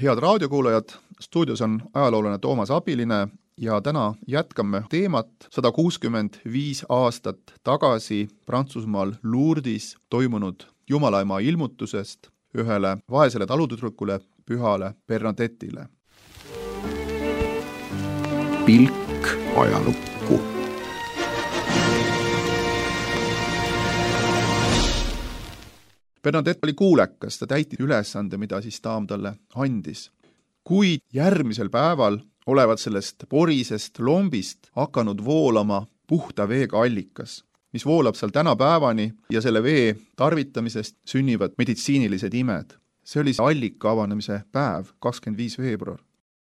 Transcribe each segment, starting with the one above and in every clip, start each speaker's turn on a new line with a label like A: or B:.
A: Head raadiokuulajad, stuudios on ajaloolane Toomas Abiline ja täna jätkame teemat 165 aastat tagasi Prantsusmaal Lourdis toimunud Jumalaema ilmutusest ühele vaesele talutüdrukule, pühale Bernadettile.
B: Pilk ajalukku.
A: Bernadette oli kuulekas, ta täitis ülesande, mida siis daam talle andis. Kuid järgmisel päeval olevat sellest porisest lombist hakanud voolama puhta veega allikas, mis voolab seal tänapäevani ja selle vee tarvitamisest sünnivad meditsiinilised imed. See oli see allika avanemise päev, 25. veebruar.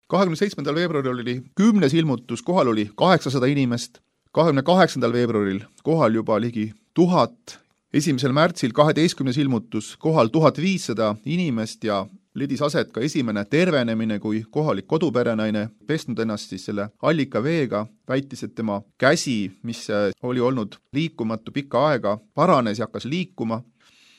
A: 27. veebruaril oli 10. ilmutus, kohal oli 800 inimest, 28. veebruaril kohal juba ligi 1000, 1. märtsil 12. ilmutus kohal 1500 inimest ja leidis aset ka esimene tervenemine, kui kohalik koduperenaine pesnud ennast siis selle allika veega, väitis, et tema käsi, mis oli olnud liikumatu pikka aega, paranes ja hakkas liikuma.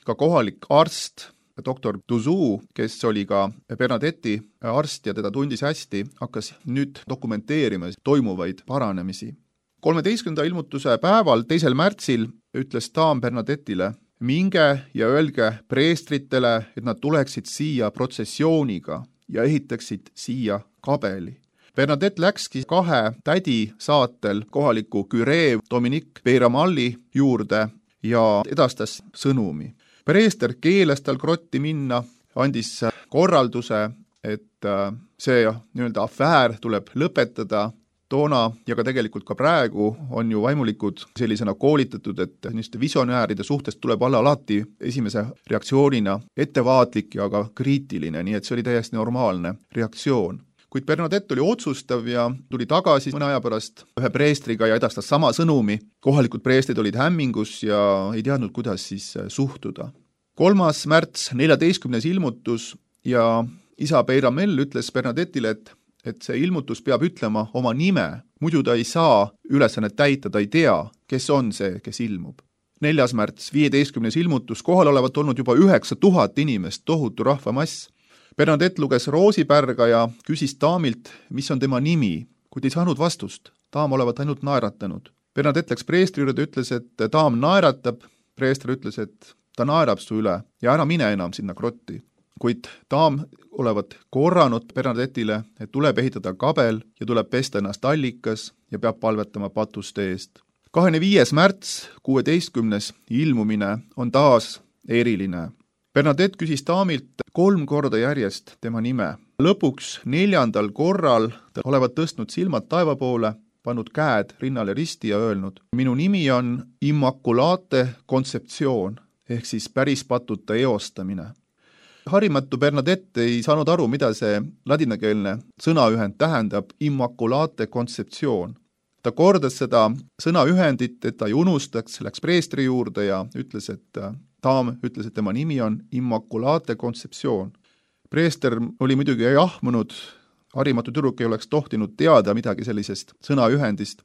A: Ka kohalik arst, doktor Duzou, kes oli ka Bernadette'i arst ja teda tundis hästi, hakkas nüüd dokumenteerima toimuvaid paranemisi. 13. ilmutuse päeval, 2. märtsil, ütles daam Bernadettile, minge ja öelge preestritele, et nad tuleksid siia protsessiooniga ja ehitaksid siia kabeli. Bernadette läkski 2 tädi saatel kohaliku küree Dominique Peyramalli juurde ja edastas sõnumi. Preester keelas tal grotti minna, andis korralduse, et see nii-öelda afäär tuleb lõpetada. Toona ja ka tegelikult ka praegu on ju vaimulikud sellisena koolitatud, et niisuguste visionääride suhtes tuleb olla alati esimese reaktsioonina ettevaatlik ja ka kriitiline, nii et see oli täiesti normaalne reaktsioon. Kuid Bernadette oli otsustav ja tuli tagasi mõne aja pärast ühe preestriga ja edastas sama sõnumi. Kohalikud preestrid olid hämmingus ja ei teadnud, kuidas siis suhtuda. 3. märts, 14. ilmutus ja isa Peyramel ütles Bernadettile, et see ilmutus peab ütlema oma nime, muidu ta ei saa ülesannet täita, ta ei tea, kes on see, kes ilmub. 4. märts, 15. ilmutus, kohal olevat olnud juba 9000 inimest, tohutu rahvamass. Bernadette luges roosipärga ja küsis daamilt, mis on tema nimi, kuid ei saanud vastust. Daam olevat ainult naeratanud. Bernadette läks preestri juurde, ütles, et daam naeratab. Preester ütles, et ta naerab su üle ja ära mine enam sinna grotti. Kuid daam olevat korranud Bernadettile, et tuleb ehitada kabel ja tuleb pesta ennast allikas ja peab palvetama patuste eest. 25. märts, 16. ilmumine on taas eriline. Bernadette küsis daamilt 3 korda järjest tema nime. Lõpuks 4. korral ta olevat tõstnud silmad taeva poole, pannud käed rinnale risti ja öelnud, minu nimi on Immaculate Conception ehk siis päris patuta eostamine. Harimatu Bernadette ei saanud aru, mida see ladinakeelne sõnaühend tähendab Immaculate Conception. Ta kordas seda sõnaühendit, et ta ei unustaks, läks preestri juurde ja ütles, et daam ütles, et tema nimi on Immaculate Conception. Preester oli muidugi jahmunud, harimatu tüdruk ei oleks tohtinud teada midagi sellisest sõnaühendist.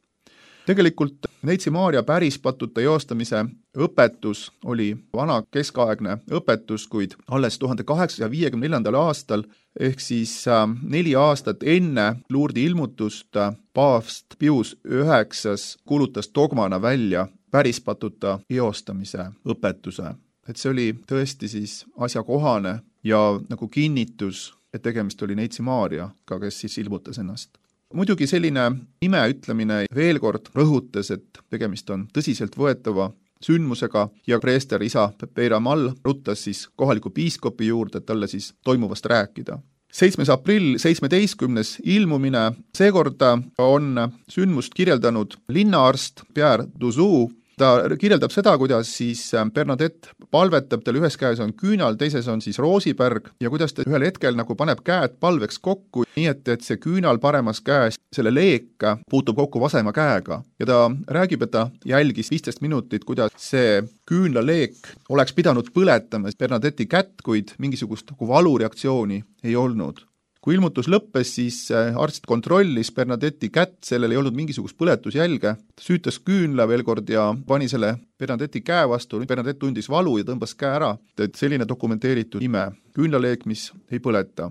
A: Tegelikult Neitsi Maarja päris patuta eostamise õpetus oli vana keskaegne õpetus, kuid alles 1854. aastal ehk siis 4 aastat enne Lourdi ilmutust paavst Pius IX kuulutas dogmana välja päris patuta eostamise õpetuse. Et see oli tõesti siis asjakohane ja nagu kinnitus, et tegemist oli Neitsi Maarjaga, kes siis ilmutas ennast. Muidugi selline nime ütlemine veel kord rõhutas, et tegemist on tõsiselt võetava sündmusega ja preester isa Peyramal ruttas siis kohaliku piiskopi juurde, et talle siis toimuvast rääkida. 7. aprill, 17. ilmumine, seekorda on sündmust kirjeldanud linnaarst Pierre Duzou. Ta kirjeldab seda, kuidas siis Bernadette palvetab, tal ühes käes on küünal, teises on siis roosipärg ja kuidas ta ühel hetkel nagu paneb käed palveks kokku, nii et see küünal paremas käes, selle leek puutub kokku vasema käega. Ja ta räägib, et ta jälgis 15 minutit, kuidas see küünlaleek oleks pidanud põletama Bernadette'i kätt, kuid mingisugust valureaktsiooni ei olnud. Kui ilmutus lõppes, siis arst kontrollis Bernadette'i kätt, sellel ei olnud mingisugust põletusjälge, ta süütas küünla veel kord ja pani selle Bernadette'i käe vastu, Bernadette tundis valu ja tõmbas käe ära, et selline dokumenteeritud ime, küünlaleek, mis ei põleta.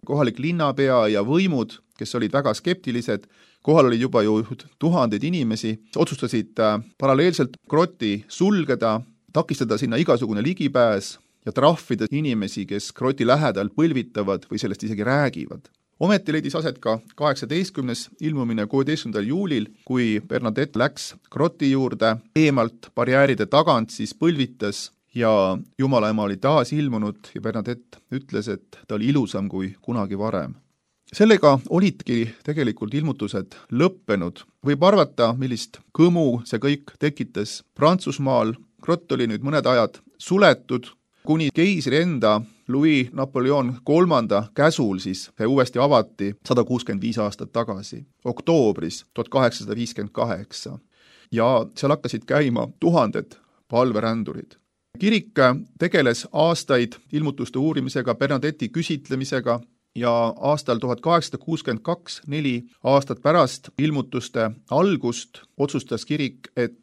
A: kohalik linnapea ja võimud, kes olid väga skeptilised, kohal oli juba ju tuhandeid inimesi, otsustasid paralleelselt grotti sulgeda, takistada sinna igasugune ligipääs ja trahvida inimesi, kes groti lähedal põlvitavad või sellest isegi räägivad. Ometi leidis aset ka 18. ilmumine 16. juulil, kui Bernadette läks groti juurde, eemalt barjääride tagant siis põlvitas ja Jumala ema oli taas ilmunud ja Bernadette ütles, et ta oli ilusam kui kunagi varem. Sellega olidki tegelikult ilmutused lõppenud. Võib arvata, millist kõmu see kõik tekitas Prantsusmaal. Grott oli nüüd mõned ajad suletud, kuni keisri enda Louis Napoleon III käsul siis see uuesti avati 165 aastat tagasi, oktoobris 1858. Ja seal hakkasid käima tuhanded palverändurid. Kirik tegeles aastaid ilmutuste uurimisega, Bernadette'i küsitlemisega ja aastal 1862, 4 aastat pärast ilmutuste algust, otsustas kirik, et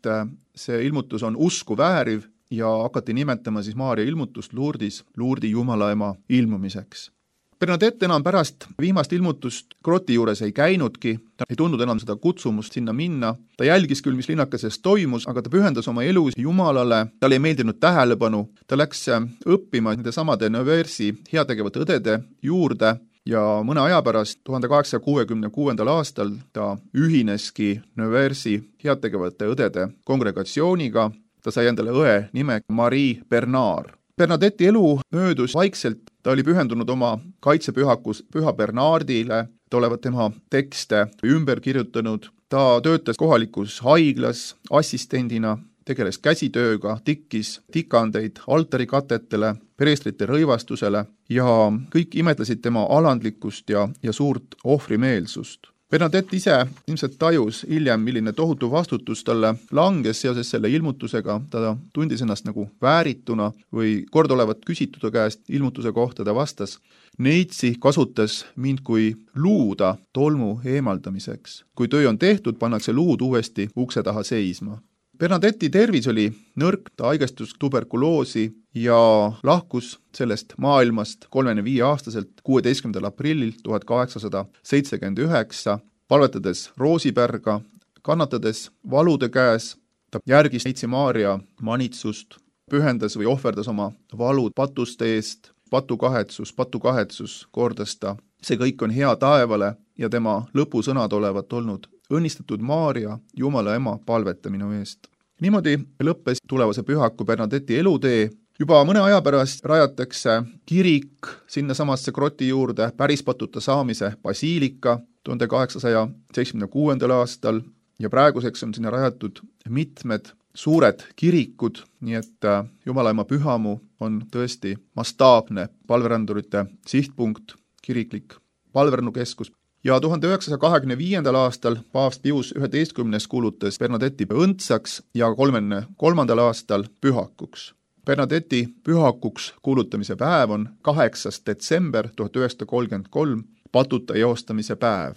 A: see ilmutus on usku vääriv ja hakati nimetama siis Maarja ilmutust Lourdi Jumalaema ilmumiseks. Bernadette enam pärast viimast ilmutust groti juures ei käinudki, ta ei tundnud enam seda kutsumust sinna minna, ta jälgis küll, mis linnakeses toimus, aga ta pühendas oma elu Jumalale, talle ei meeldinud tähelepanu, ta läks õppima nende samade Neuversi heategevate õdede juurde ja mõne aja pärast, 1866. aastal, ta ühineski Neuversi heategevate õdede kongregatsiooniga. Ta sai endale õe nime Marie Bernard. Bernadette'i elu möödus vaikselt, ta oli pühendunud oma kaitsepühakus Püha Bernardile, ta olevat tema tekste ümber kirjutanud, ta töötas kohalikus haiglas assistendina, tegeles käsitööga, tikkis tikandeid altarikatetele, preestrite rõivastusele ja kõik imetlesid tema alandlikkust ja suurt ohvrimeelsust. Bernadette ise ilmselt tajus hiljem, milline tohutu vastutus talle langes seoses selle ilmutusega, ta tundis ennast nagu väärituna või kord olevat küsitud käest ilmutuse kohta, ta vastas, neitsi kasutas mind kui luuda tolmu eemaldamiseks. Kui töö on tehtud, pannakse luud uuesti ukse taha seisma. Bernadette'i tervis oli nõrk, ta haigestus tuberkuloosi ja lahkus sellest maailmast 35-aastaselt 16. aprillil 1879, palvetades Roosipärga, kannatades valude käes, ta järgis neitsi Maarja manitsust, pühendas või ohverdas oma valud patuste eest, patukahetsus, kordas ta. See kõik on hea taevale ja tema lõpusõnad olevat olnud õnnistatud Maarja, Jumala ema, palveta minu eest. Niimoodi lõppes tulevase pühaku Bernadette'i elutee. Juba mõne aja pärast rajatakse kirik sinna samasse groti juurde, pärispatuta saamise basiilika 1876. aastal ja praeguseks on sinna rajatud mitmed suured kirikud, nii et Jumalaema pühamu on tõesti mastaapne palverändurite sihtpunkt, kiriklik palvernukeskus. Ja 1925. aastal paavst Pius 11. kuulutas Bernadette'i õndsaks ja 33. aastal pühakuks. Bernadette'i pühakuks kuulutamise päev on 8. detsember 1933, patuta eostamise päev.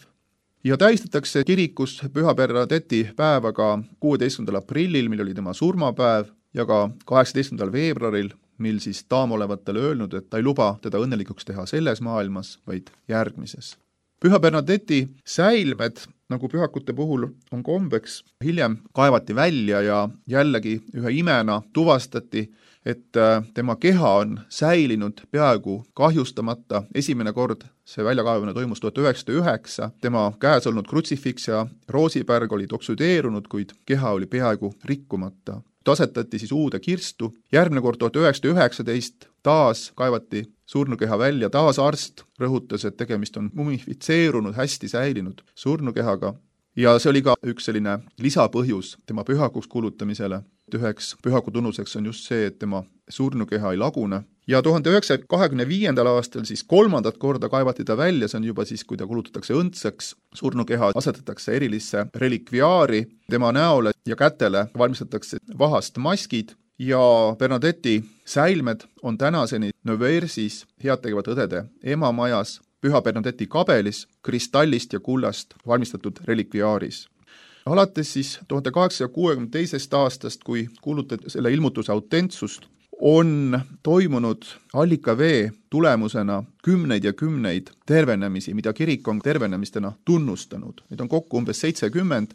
A: Ja tähistatakse kirikus Püha Bernadette'i päeva ka 16. aprillil, mil oli tema surmapäev, ja ka 18. veebruaril, mil siis daam olevat talle öelnud, et ta ei luba teda õnnelikuks teha selles maailmas, vaid järgmises. Püha Bernadette'i säilmed, nagu pühakute puhul on kombeks, hiljem kaevati välja ja jällegi ühe imena tuvastati, et tema keha on säilinud peaaegu kahjustamata. Esimene kord see väljakaevamine toimus 1909, tema käes olnud krutsifiks ja roosipärg olid oksüdeerunud, kuid keha oli peaaegu rikkumata. Asetati siis uude kirstu. Järgmine kord 1919 taas kaevati surnukeha välja, taas arst rõhutas, et tegemist on mumifitseerunud, hästi säilinud surnukehaga. Ja see oli ka üks selline lisapõhjus tema pühakuks kuulutamisele. Üheks pühaku tunnuseks on just see, et tema surnukeha ei lagune. Ja 1925. aastal siis kolmandat korda kaevati ta välja, see on juba siis, kui ta kuulutatakse õndsaks. Surnukeha asetatakse erilisse relikviaari, tema näole ja kätele valmistatakse vahast maskid ja Bernadette'i säilmed on tänaseni Neuversis heategevate õdede emamajas Püha Bernadette'i kabelis kristallist ja kullast valmistatud relikviaaris. Alates siis 1862. aastast, kui kuulutati selle ilmutuse autentsust, on toimunud allikavee tulemusena kümneid ja kümneid tervenemisi, mida kirik on tervenemistena tunnustanud. Neid on kokku umbes 70.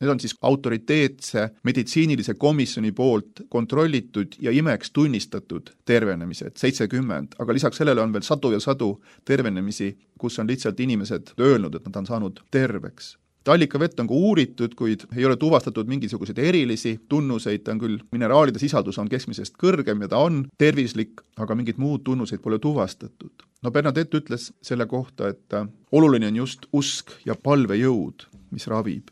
A: Need on siis autoriteetse meditsiinilise komisjoni poolt kontrollitud ja imeks tunnistatud tervenemised, 70, aga lisaks sellele on veel sadu ja sadu tervenemisi, kus on lihtsalt inimesed öelnud, et nad on saanud terveks. Allikavett on ka uuritud, kuid ei ole tuvastatud mingisuguseid erilisi tunnuseid, ta on küll, mineraalide sisaldus on keskmisest kõrgem ja ta on tervislik, aga mingid muud tunnuseid pole tuvastatud. Bernadette ütles selle kohta, et oluline on just usk ja palvejõud, mis ravib.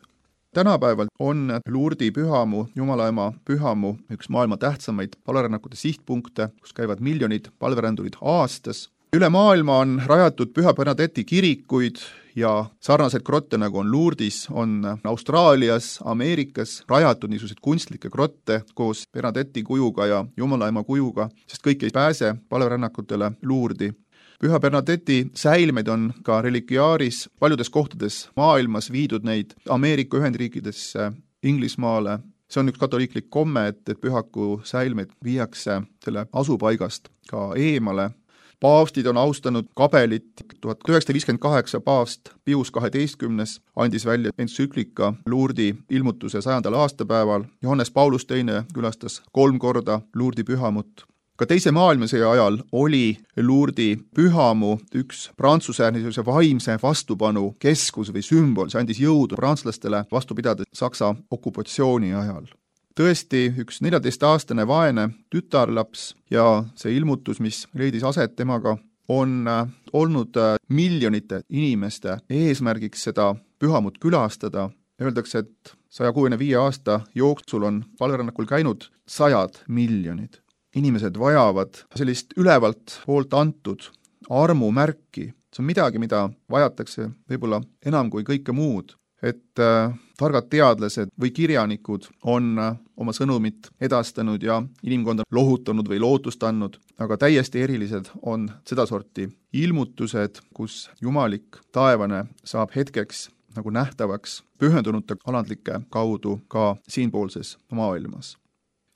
A: Tänapäeval on Lourdesi pühamu, Jumalaema pühamu üks maailma tähtsamaid palverännakute sihtpunkte, kus käivad miljonid palverändurid aastas. Üle maailma on rajatud Püha Bernadette'i kirikuid ja sarnaseid grotte, nagu on Lourdes, on Austraalias, Ameerikas rajatud niisuguseid kunstlikke grotte koos Bernadette'i kujuga ja Jumalaema kujuga, sest kõik ei pääse palverännakutele Lourdesi. Püha Bernadette'i säilmeid on ka religiaaris paljudes kohtades maailmas viidud neid Ameerika Ühendriikidesse, Inglismaale. See on üks katoliiklik komme, et pühaku säilmeid viiakse selle asupaigast ka eemale. Paavstid on austanud kabelit. 1958 paavst Pius XII andis välja entsüklika Lourdesi ilmutuse 100. aastapäeval. Johannes Paulus II külastas 3 korda Lourdesi pühamut. Ka teise maailmasõja ajal oli Lourdesi pühamu üks Prantsuse vaimse vastupanu keskus või sümbol. See andis jõudu prantslastele vastu pidada Saksa okupatsiooni ajal. Tõesti, üks 14-aastane vaene tütarlaps ja see ilmutus, mis leidis aset temaga, on olnud miljonite inimeste eesmärgiks seda pühamut külastada. Öeldakse, et 165 aasta jooksul on palverännakul käinud 100 miljonid. Inimesed vajavad sellist ülevalt poolt antud armumärki. See on midagi, mida vajatakse võib-olla enam kui kõike muud. Et targad teadlased või kirjanikud on oma sõnumit edastanud ja inimkonda lohutanud või lootust andnud, aga täiesti erilised on sedasorti ilmutused, kus jumalik taevane saab hetkeks nagu nähtavaks pühendunute alandlike kaudu ka siinpoolses maailmas.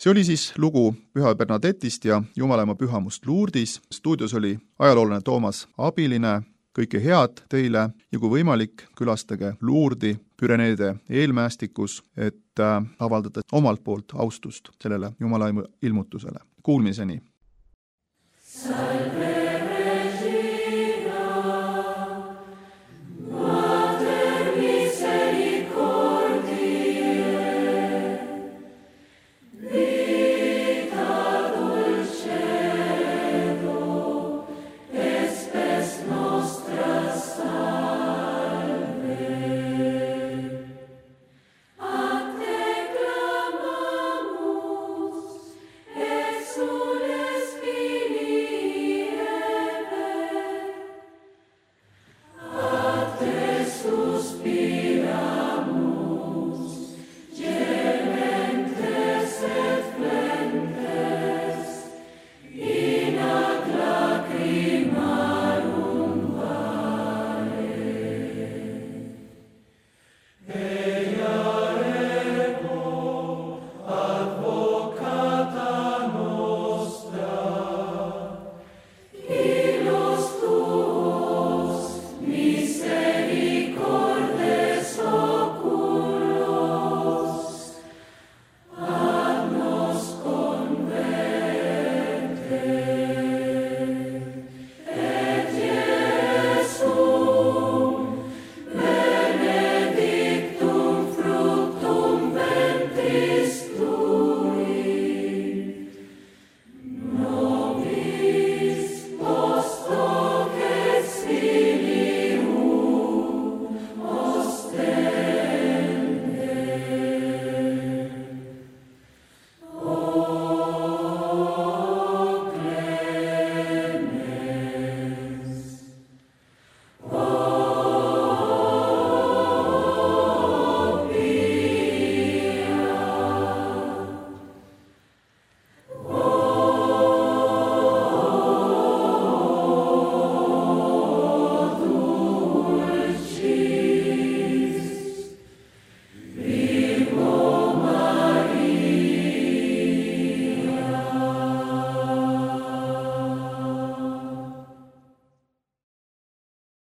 A: See oli siis lugu Püha Bernadette'ist ja Jumalaema pühamust Lourdes. Stuudios oli ajaloolane Toomas Abiline. Kõike head teile ja kui võimalik, külastage Lourdesi Püreneede eelmäestikus, et avaldada omalt poolt austust sellele Jumalaema ilmutusele. Kuulmiseni!